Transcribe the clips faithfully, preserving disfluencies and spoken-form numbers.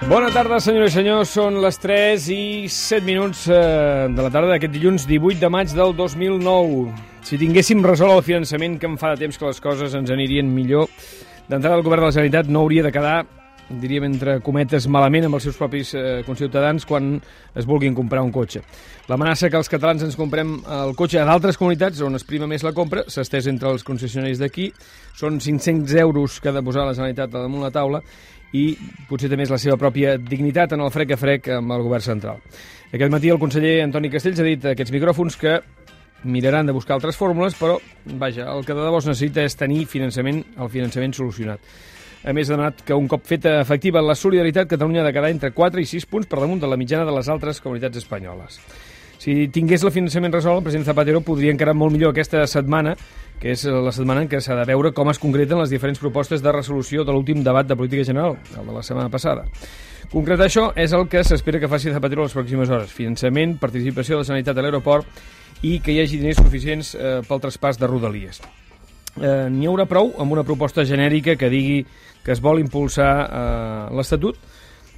Bona tarda, senyores i senyors. Són les tres i set minuts eh, de la tarda d'aquest dilluns divuit de maig del dos mil nou. Si tinguéssim resolt el finançament, que em fa de temps que les coses ens anirien millor, d'entrada el govern de la Generalitat no hauria de quedar, diríem entre cometes, malament amb els seus propis eh, conciutadans quan es vulguin comprar un cotxe. L'amenaça que els catalans ens comprem el cotxe a d'altres comunitats on es prima més la compra s'ha estès entre els concessionaris d'aquí. Són cinc-cents euros que ha de posar la Generalitat damunt la taula i potser també és la seva pròpia dignitat en el frec a frec amb el govern central. Aquest matí el conseller Antoni Castells ha dit a aquests micròfons que miraran de buscar altres fórmules, però vaja, el que de debò es necessita és tenir finançament, el finançament solucionat. A més, ha demanat que un cop feta efectiva la solidaritat, Catalunya ha de quedar entre quatre i sis punts per damunt de la mitjana de les altres comunitats espanyoles. Si tingués el finançament resolt, el president Zapatero podria encarar molt millor aquesta setmana, que és la setmana en què s'ha de veure com es concreten les diferents propostes de resolució de l'últim debat de política general, el de la setmana passada. Concretar això és el que s'espera que faci Zapatero les pròximes hores. Finançament, participació de la Generalitat a l'aeroport i que hi hagi diners suficients eh, pel traspàs de Rodalies. Eh, N'hi haurà prou amb una proposta genèrica que digui que es vol impulsar eh, l'Estatut,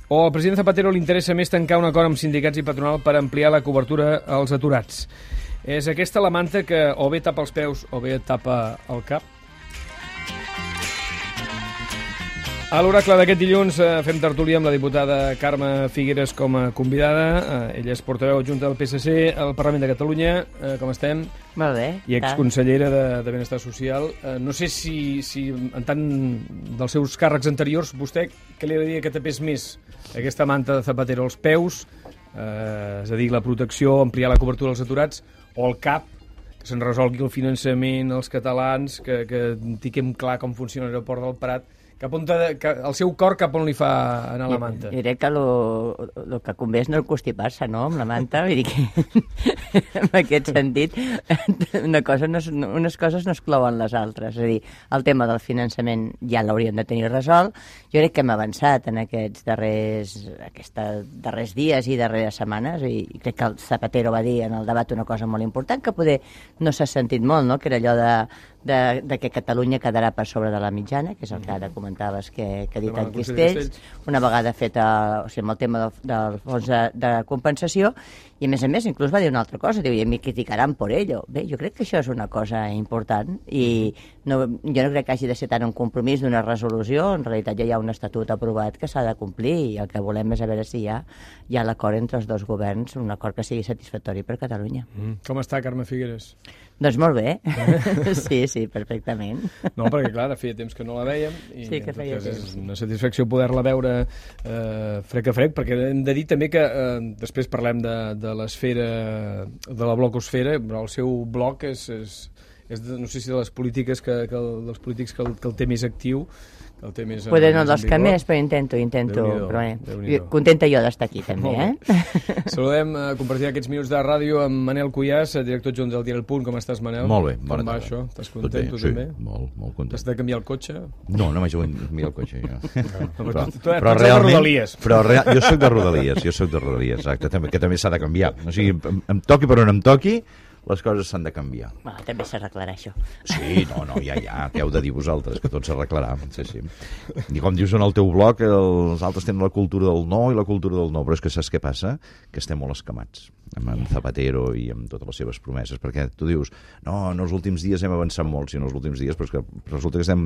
o al president Zapatero li interessa més tancar un acord amb sindicats i patronal per ampliar la cobertura als aturats. És aquesta la manta que o bé tapa els peus o bé tapa el cap? A l'oracle d'aquest dilluns eh, fem tertúlia amb la diputada Carme Figueres com a convidada. Eh, ella és portaveu adjunta del P S C al Parlament de Catalunya. Eh, com estem? Molt bé. I exconsellera de, de Benestar Social. Eh, no sé si, si en tant dels seus càrrecs anteriors, vostè què li agradaria que tapés més aquesta manta de Zapatero, els peus, eh, és a dir, la protecció, ampliar la cobertura als aturats, o el cap, que se'n resolgui el finançament als catalans, que, que tinguem clar com funciona l'aeroport del Prat, cap on de, que el seu cor cap on li fa anar la manta? Jo crec que el que convé és no constipar-se, no?, amb la manta. Vull dir que, en aquest sentit, una cosa no, unes coses no exclouen les altres. És a dir, el tema del finançament ja l'hauríem de tenir resolt. Jo crec que hem avançat en aquests darrers, aquests darrers dies i darreres setmanes, i crec que el Zapatero va dir en el debat una cosa molt important, que poder no s'ha sentit molt, no?, que era allò de De, de que Catalunya quedarà per sobre de la mitjana, que és el que ara comentaves que, que ha dit en Castells, una vegada feta, o sigui, amb el tema del, del fons de, de compensació, i a més a més inclús va dir una altra cosa, diu, i em criticaran per ello. Bé, jo crec que això és una cosa important, i no, jo no crec que hagi de ser tant un compromís d'una resolució, en realitat ja hi ha un estatut aprovat que s'ha de complir, i el que volem és a veure si hi ha, hi ha l'acord entre els dos governs, un acord que sigui satisfactori per Catalunya. Mm. Com està, Carme Figueres? Doncs molt bé, sí, sí, perfectament. No, perquè clar, feia temps que no la vèiem i sí, que feia és temps. una satisfacció poder-la veure eh, frec a frec, perquè hem de dir també que eh, després parlem de, de l'esfera, de la blocosfera, però el seu bloc és, és, és de, no sé si de les polítiques que, que el, dels polítics que el, que el té més actiu. Poder no dels que més, però intento, intento. Però, eh, contenta jo d'estar aquí, també, eh? Saludem, uh, compartir aquests minuts de ràdio amb Manel Cuyàs, director adjunt del diari El Punt. Com estàs, Manel? Molt bé, bona Com va tarda. això? Estàs content, tu sí, també? molt, molt content. Has de canviar el cotxe? No, no m'haig de canviar el cotxe, jo. No, però, tu, tu, però tu realment, de Rodalies. Però real, jo soc de Rodalies, jo soc de Rodalies, exacte, també, que també s'ha de canviar. O sigui, em, em toqui per on em toqui, les coses s'han de canviar. Bueno, també s'arreglarà això. Sí, no, no, ja, ja, què heu de dir vosaltres, que tot s'arreglarà. Sí, sí. I com dius en el teu blog, els altres tenen la cultura del no i la cultura del no, però és que saps què passa? Que estem molt escamats amb en Zapatero i amb totes les seves promeses, perquè tu dius, no, en els últims dies hem avançat molt, sí, en els últims dies, però és que resulta que estem,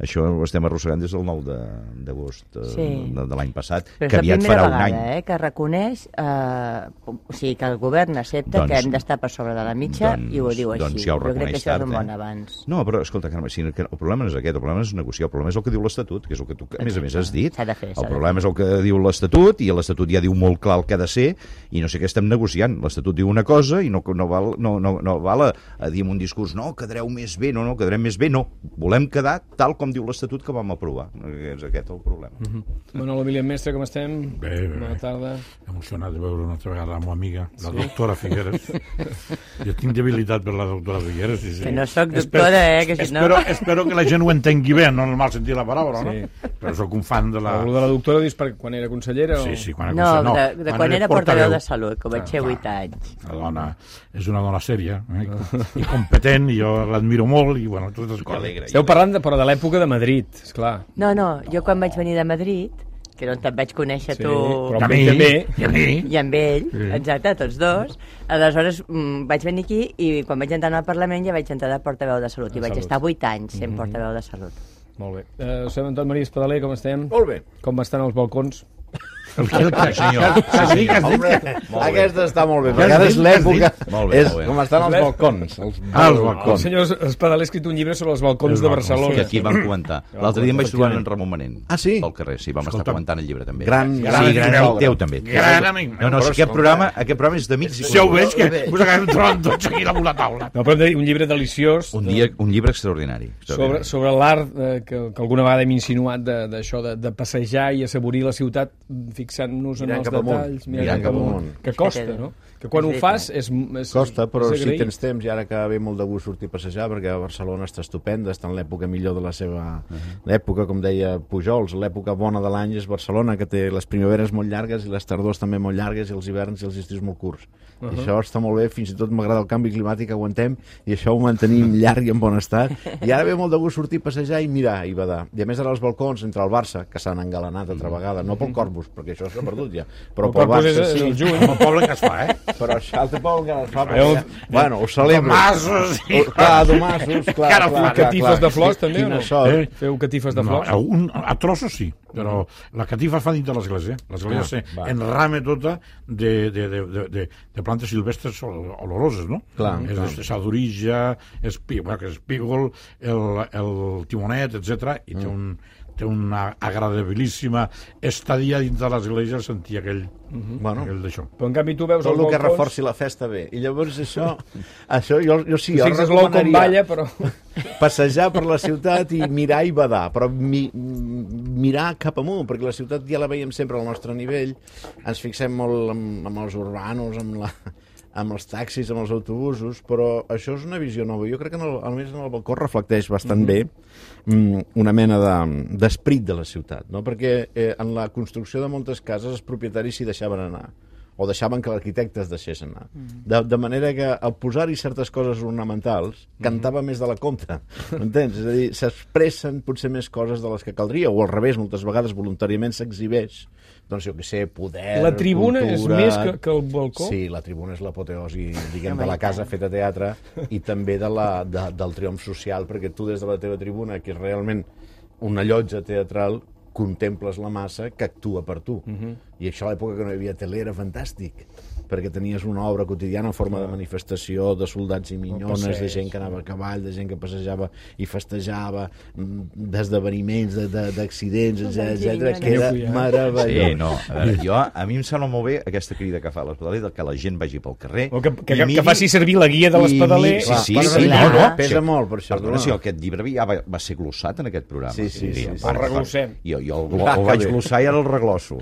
això ho estem arrossegant des del nou d'agost sí. de, de l'any passat, però que aviat farà vegada, un any. Eh, que reconeix, eh, o sigui, que el govern accepta doncs, que hem d'estar per sobre de la mitja doncs, i ho diu així. Doncs ja ho jo crec que això tard, és un bon eh? abans. No, però escolta, Carme, si el problema no és aquest, el problema és negociar, el problema és el que diu l'Estatut, que és el que tu, a més a més, has dit. S'ha de fer, el problema és el que diu l'Estatut, i l'Estatut ja diu molt clar el que ha de ser, i no sé què estem negociant. L'Estatut diu una cosa i no, no val, no, no, no val a, a dir en un discurs no, quedareu més bé, no, no, quedarem més bé, no. Volem quedar tal com diu l'Estatut que vam aprovar. És aquest el problema. Mm-hmm. Manolo Emilian Mestre, com estem? Bé, bé, bé. Bona tarda. Emocionat de veure una altra vegada la meva amiga, la sí? doctora Figueres. Jo tinc debilitat per la doctora Figueres. Sí, sí. Que no soc doctora, eh? Que si espero, no... espero que la gent ho entengui bé, no en el mal sentit de la paraula, sí. no? Però soc un fan de la... El de la doctora dius per quan era consellera? Sí, o... sí, quan era no, consellera. No, de, de quan, quan era portaveu de salut, que vaig ser vuit anys. La dona és una dona sèria, eh? I competent, i jo l'admiro molt, i bueno, totes les coses. Esteu parlant de, però de l'època de Madrid, esclar. No, no, jo quan vaig venir de Madrid que és on te'n vaig conèixer Sí, tu... però I a amb mi, ell també. i a mi. I amb ell, Sí. exacte, tots dos. Aleshores mm, vaig venir aquí i quan vaig entrar al Parlament ja vaig entrar de portaveu de Salut. I vaig Salut. estar vuit anys sent portaveu de Salut. Molt bé. Uh, Josep Antoni Maria Espadaler, com estem? Molt bé. Com estan els balcons? El que, el que, senyor. Has dit, has dit Hombre, Molt bé. aquesta està molt bé, Ja perquè has ara dit, és ja has l'època, dit. Molt bé, és molt bé. com estan els Ves? balcons. Els, Ah, els El balcons. senyor Espadaler ha escrit un llibre sobre els balcons Els de balcons, Barcelona. Que aquí vam comentar. L'altre dia em vaig trobar en Ramon Manent. Ah, sí? Pel carrer, sí, vam Escolta, estar comentant el llibre també. Gran, Sí, gran, gran gran amic teu també. Gran amic meu. No, no, Però si aquest escolta. programa, aquest programa és d'amics i Si ho coneguts. veig, que us acabem trobant tots aquí damunt la taula. No, però hem de dir un llibre deliciós Un, dia, un llibre extraordinari. sobre, extraordinari. sobre l'art eh, que, que alguna vegada hem insinuat de- d'això, de, de passejar i assaborir la ciutat fixant-nos en Mirant els cap amunt. detalls, Mirant cap amunt. que costa, no? Que quan És ho veritat. fas és, és Costa, però és si agrair. tens temps, i ara que ve molt de gust sortir a passejar, perquè a Barcelona està estupenda, està en l'època millor de la seva... L'època, com deia Pujols, l'època bona de l'any és Barcelona, que té les primaveres molt llargues i les tardors també molt llargues i els hiverns i els estius molt curts. Uh -huh. I això està molt bé, fins i tot m'agrada el canvi climàtic que aguantem i això ho mantenim llarg i en bon estat. I ara ve molt de gust sortir a passejar i mirar i badar. I a més ara els balcons entre el Barça, que s'han engalanat altra vegada, no pel Corpus, perquè això s'ha perdut ja, però El pel Corpus Barça és sí. el juny. El poble que es fa, eh? Però això altre poble que es fa, Veieu? perquè, bueno, ho celebro. Tomassos i... Oh, clar, domassos, clar, Cara, clar, clar, catifes clar. de flors, també, o Quina no? sort. Eh? Feu catifes de flors? No, un, a trossos sí, però la catifa fa dins de l'església. L'església Ah, va. s'enrame tota de, de, de, de, de, de plantes silvestres ol- oloroses, no? Clar, és clar. de sadorija, espí, bueno, que és espígol, el, el timonet, etcètera, i Mm. té, un, té una agradabilíssima estadia dins de l'església, sentir aquell, Bueno, aquell d'això. Però en canvi tu veus tot els el que balcons... reforci la festa bé. I llavors això, això jo, jo sí, Tu jo fixes l'ou com balla, però... passejar per la ciutat i mirar i badar, però mi, mirar cap amunt, perquè la ciutat ja la veiem sempre al nostre nivell, ens fixem molt amb, amb els urbanos, amb, la, amb els taxis, amb els autobusos, però això és una visió nova. Jo crec que en el, almenys en el balcó reflecteix bastant mm-hmm. bé mm, una mena de- d'esperit de, de la ciutat, no? Perquè eh, en la construcció de moltes cases els propietaris s'hi deixaven anar, o deixaven que l'arquitecte es deixés anar. De, de manera que al posar-hi certes coses ornamentals cantava més de la compta, m'entens? És a dir, s'expressen potser més coses de les que caldria, o al revés, moltes vegades voluntàriament s'exhibeix, doncs jo què sé, poder, La tribuna cultura... és més que, que el balcó? Sí, la tribuna és l'apoteosi, diguem, de la casa feta teatre i també de la, de, del triomf social, perquè tu des de la teva tribuna, que és realment una llotja teatral, contemples la massa que actua per tu. Uh-huh. I això a l'època que no hi havia tele era fantàstic, perquè tenies una obra quotidiana en forma de manifestació, de soldats i minyones, passeig, de gent que anava a cavall, de gent que passejava i festejava, mm, d'esdeveniments, de- de- d'accidents, etcètera, que era Aneu-hi, eh? meravellós. Sí, no, a veure, jo, a mi em sembla molt bé aquesta crida que fa l'Espadaler, de que la gent vagi pel carrer... O que, que, i que, miri- que faci servir la guia de i l'Espadaler. miri- Clar, Sí, sí, passa sí, bé. no, no. Pesa Sí. molt, per això. Perdona, tu, si no? aquest llibre ja va, va ser glossat en aquest programa. Sí, sí, sí, sí. va, El reglossem. Jo, jo el, Va, el que vaig bé. glossar i ara el reglosso.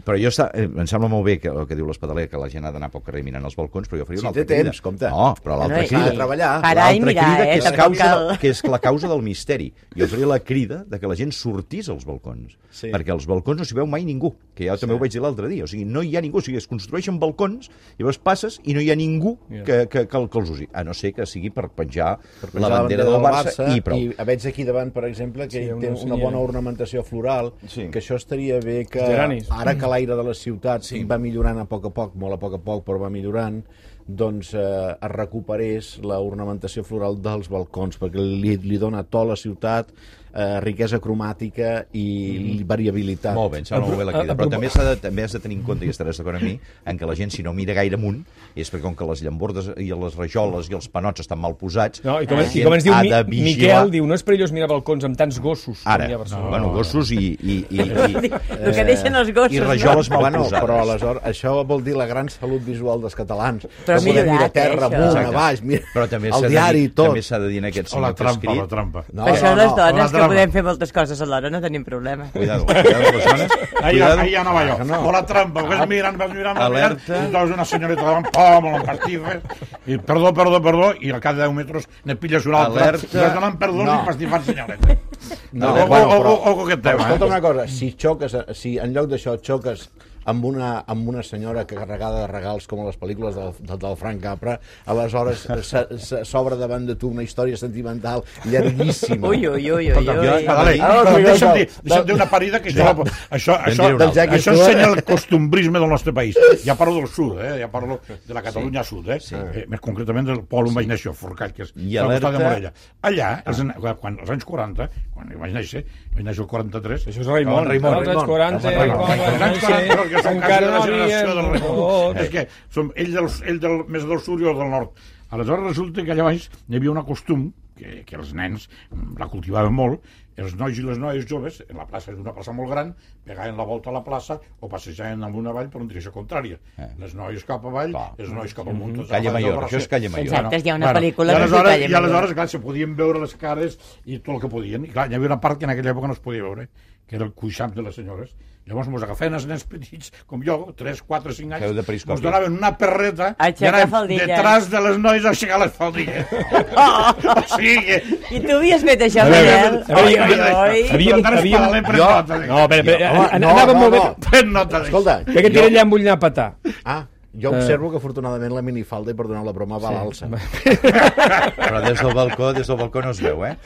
Però jo està, eh, em sembla molt bé que, el que diu l'Espadaler, que la gent ha d'anar pel carrer mirant els balcons, però jo faria Si una altra té crida. temps, compte. No, però l'altra Bueno, i- crida... Ha de treballar. Parar i L'altra mirar, crida, eh? que és, Tampoc causa cal... del, que és la causa del misteri. Jo faria la crida de que la gent sortís als balcons, Sí. perquè als balcons no s'hi veu mai ningú, que ja també ho vaig dir l'altre dia. O sigui, no hi ha ningú, o sigui, es construeixen balcons, llavors passes i no hi ha ningú que, que, que, que els usi, a no ser que sigui per penjar, Per la bandera del Barça, i prou. I veig aquí davant, per exemple, que Sí, sí, una té una senyera. bona ornamentació floral, Sí. que això estaria bé que, Els geranis. ara que l'aire de la ciutat sí. va millorant a poc a poc, molt a poc a poc, però va millorant, doncs eh, es recuperés la ornamentació floral dels balcons, perquè li, li dona to a la ciutat, eh, riquesa cromàtica i mm. variabilitat. Molt bé, em sembla molt bé la crida. A- a- Però també, s'ha de, també has de tenir en compte, i estaràs d'acord amb mi, en que la gent, si no mira gaire amunt, és perquè com que les llambordes i les rajoles i els panots estan mal posats, No, i com, la i gent com ens diu ha Mi, de vigilar. Miquel, diu, no és perillós mirar balcons amb tants gossos Ara, com hi ha a Barcelona. bueno, gossos i, i, i, i, El que deixen els gossos, i rajoles mal Bueno, posades. però aleshores això vol dir la gran salut visual dels catalans. Però que podem millorat, mirar terra, eh, amunt, això. a baix, mira, Però també s'ha el de diari dir, i tot. també s'ha de dir en aquest O la senyor que ha trampa, escrit. la trampa. No, Per això no, les no, dones la que trama. podem fer moltes coses alhora no tenim problema. Cuidado, cuidado, les dones. Ahí, Cuidado. ahí anava jo. No. O la trampa, vas mirant, vas mirant, vas mirant, Alerta. i trobes una senyoreta davant, pom, amb pastifes, i perdó, perdó, perdó, i al cap de deu metres ne pilles una altra, Alerta. i vas donant perdó No. i pastifant senyoreta. No, o, bueno, o, però- o, o, o aquest Però tema, escolta eh? una cosa, si xoques, si en lloc d'això xoques amb una, amb una senyora que carregada de regals com a les pel·lícules del, del, del Frank Capra, aleshores s'obre davant de tu una història sentimental llarguíssima. Ui, ui, ui, ui, ui. Adalai, deixa'm dir, deixa'm dir una parida que això, això, això, això ensenya el costumbrisme del nostre país. Ja parlo del sud, eh? Ja parlo de la Catalunya sí. sud, eh? Sí. eh? Més concretament del poble on sí. vaig néixer, Forcall, que és al costat de Morella. Allà, ah. els, quan, als anys quaranta, quan vaig néixer, vaig néixer el quaranta-tres... Això és Raimon, Raimon, als anys quaranta, que són quasi una generació del Raimon. És que som ell, del, ell del, més del sud i el del nord. Aleshores resulta que allà baix hi havia una costum, que, que els nens la cultivaven molt, els nois i les noies joves, en la plaça és una plaça molt gran, pegaven la volta a la plaça o passejaven amunt avall per una direcció contrària. Eh. Les noies cap avall, Clar. els nois cap amunt. Mm -hmm. Calle Mayor, això és Calle Mayor. Exacte, hi ha una bueno, pel·lícula i aleshores, Calle Mayor. I aleshores, clar, se podien veure les cares i tot el que podien. I clar, hi havia una part que en aquella època no es podia veure, que era el cuixam de les senyores. Llavors mos agafaven els nens petits, com jo, tres, quatre, cinc anys, mos donaven una perreta i anàvem detrás de les noies a aixecar les faldilles. Oh! O sigui que... I tu havies fet això, Manel? Havíem... No, espera, anàvem molt bé. Pren nota d'això. Escolta, perquè tira allà amb ull anar a petar. Ah, jo observo que afortunadament la minifalda, i perdoneu la broma, va a l'alça. Però des del balcó, des del balcó no es veu, eh?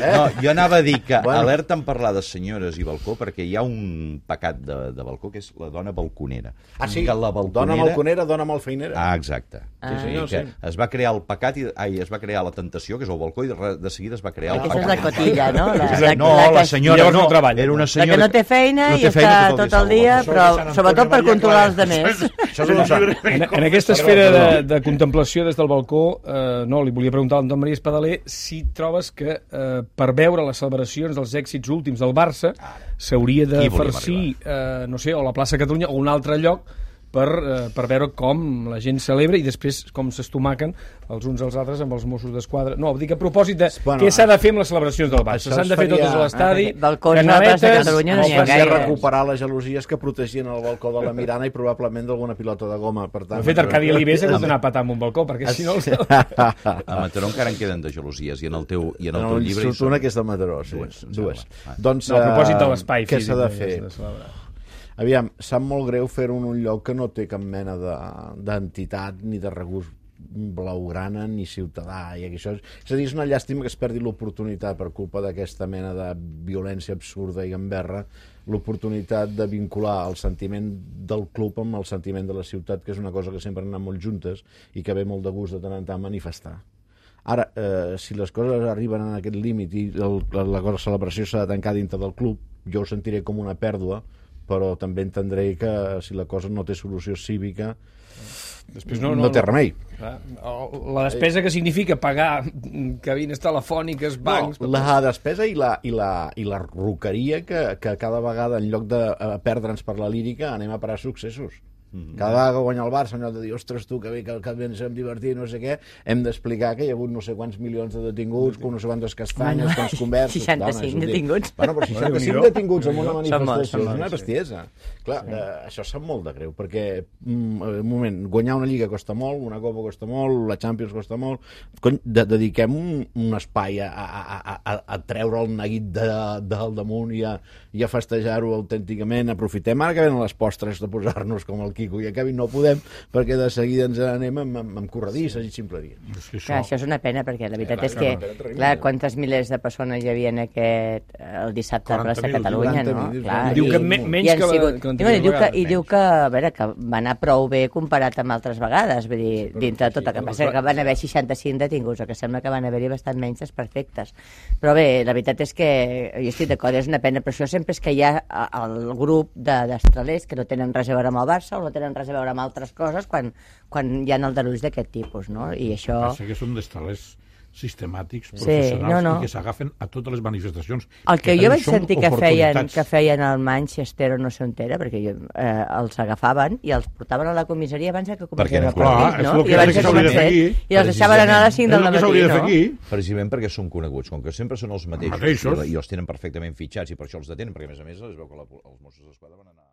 No, jo anava a dir que bueno. alerta en parlar de senyores i balcó, perquè hi ha un pecat de, de balcó, que és la dona balconera. Ah, sí? Que la balconera... Dona balconera, dona malfeinera. Ah, exacte. Ah. Sí, sí, que es va crear el pecat, i, ai, es va crear la tentació, que és el balcó, i de, de seguida es va crear el pecat. Aquesta és la cotilla, no? La, la, no, la, la senyora no, treballa. Era una senyora la que no té feina no i té està feina tot el dia, però sobretot per controlar els demés. En, en aquesta esfera de, de contemplació des del balcó, eh, no, li volia preguntar a l'Anton Maria Espadaler si trobes que eh, per veure les celebracions dels èxits últims del Barça s'hauria de farcir, eh, no sé, o la plaça Catalunya o un altre lloc per, eh, per veure com la gent celebra i després com s'estomaquen els uns als altres amb els Mossos d'Esquadra. No, dic a propòsit de bueno, què s'ha de fer amb les celebracions del Barça. S'han de fer totes a l'estadi, canaletes... No es faria recuperar les gelosies que protegien el balcó de la Mirana i probablement d'alguna pilota de goma. Per tant, de fet, Arcadi Alibés ha hagut d'anar a patar amb un balcó, perquè si no... A Mataró encara en queden de gelosies, i en el teu, i en el teu llibre... En el una que és de Mataró, sí. Dues. Dues. Doncs, no, a propòsit de l'espai físic. Què s'ha de fer? Aviam, sap molt greu fer-ho en un lloc que no té cap mena d'entitat ni de regust blaugrana ni ciutadà, i això és, és a dir, és una llàstima que es perdi l'oportunitat per culpa d'aquesta mena de violència absurda i gamberra, l'oportunitat de vincular el sentiment del club amb el sentiment de la ciutat, que és una cosa que sempre han anat molt juntes i que ve molt de gust de tant en tant manifestar. Ara, eh, si les coses arriben en aquest límit i el, la, la celebració s'ha de tancar dintre del club, jo ho sentiré com una pèrdua, però també entendré que si la cosa no té solució cívica després no, no, no té remei. La despesa que significa pagar cabines telefòniques, bancs... No, la despesa i la, i la, i la roqueria que, que cada vegada, en lloc de perdre'ns per la lírica, anem a parar successos. Cada vegada que guanya el Barça, en lloc de dir, ostres, tu, que bé, que, que bé ens hem divertit, no sé què, hem d'explicar que hi ha hagut no sé quants milions de detinguts, com no sé quantes castanyes, quants conversos... seixanta-cinc detinguts. Bueno, però seixanta-cinc detinguts en una manifestació és una bestiesa. Clar, sí. eh, això sap molt de greu, perquè, mm, un moment, guanyar una lliga costa molt, una copa costa molt, la Champions costa molt... Cony, de, dediquem un, un espai a, a, a, a, a treure el neguit de, del damunt i a, i a festejar-ho autènticament. Aprofitem ara que venen les postres de posar-nos com el Quico i acabi no podem, perquè de seguida ens anem amb, amb, amb corredisses i ximpleries. Sí, això... Clar, això és una pena, perquè la veritat eh, és que, no, clar, quantes milers de persones hi havia en aquest, el dissabte a plaça Catalunya, no? Clar, diu que me, menys que, sigut, que, que diu que, I diu que, a veure, que va anar prou bé comparat amb altres vegades, vull dir, dintre de tot el que passa, que van haver seixanta-cinc detinguts, o que sembla que van haver-hi bastant menys desperfectes. Però bé, la veritat és que jo estic d'acord, és una pena, però això sempre és que hi ha el grup d'estralers que no tenen res a veure amb el Barça o no tenen res a veure amb altres coses quan, quan hi ha aldarulls d'aquest tipus, no? I això... Pensa que són d'estalers sistemàtics, professionals, sí, no, no. i que s'agafen a totes les manifestacions. El que, que jo vaig sentir que feien, que feien al Manchester o no sé on era, perquè jo, eh, els agafaven i els portaven a la comissaria abans que comencessin el partit, no? I abans que comencessin, i els deixaven anar a les cinc del matí, no? Precisament perquè són coneguts, com que sempre són els mateixos, i els tenen perfectament fitxats i per això els detenen, perquè a més a més es veu que la, els Mossos d'Esquadra van anar...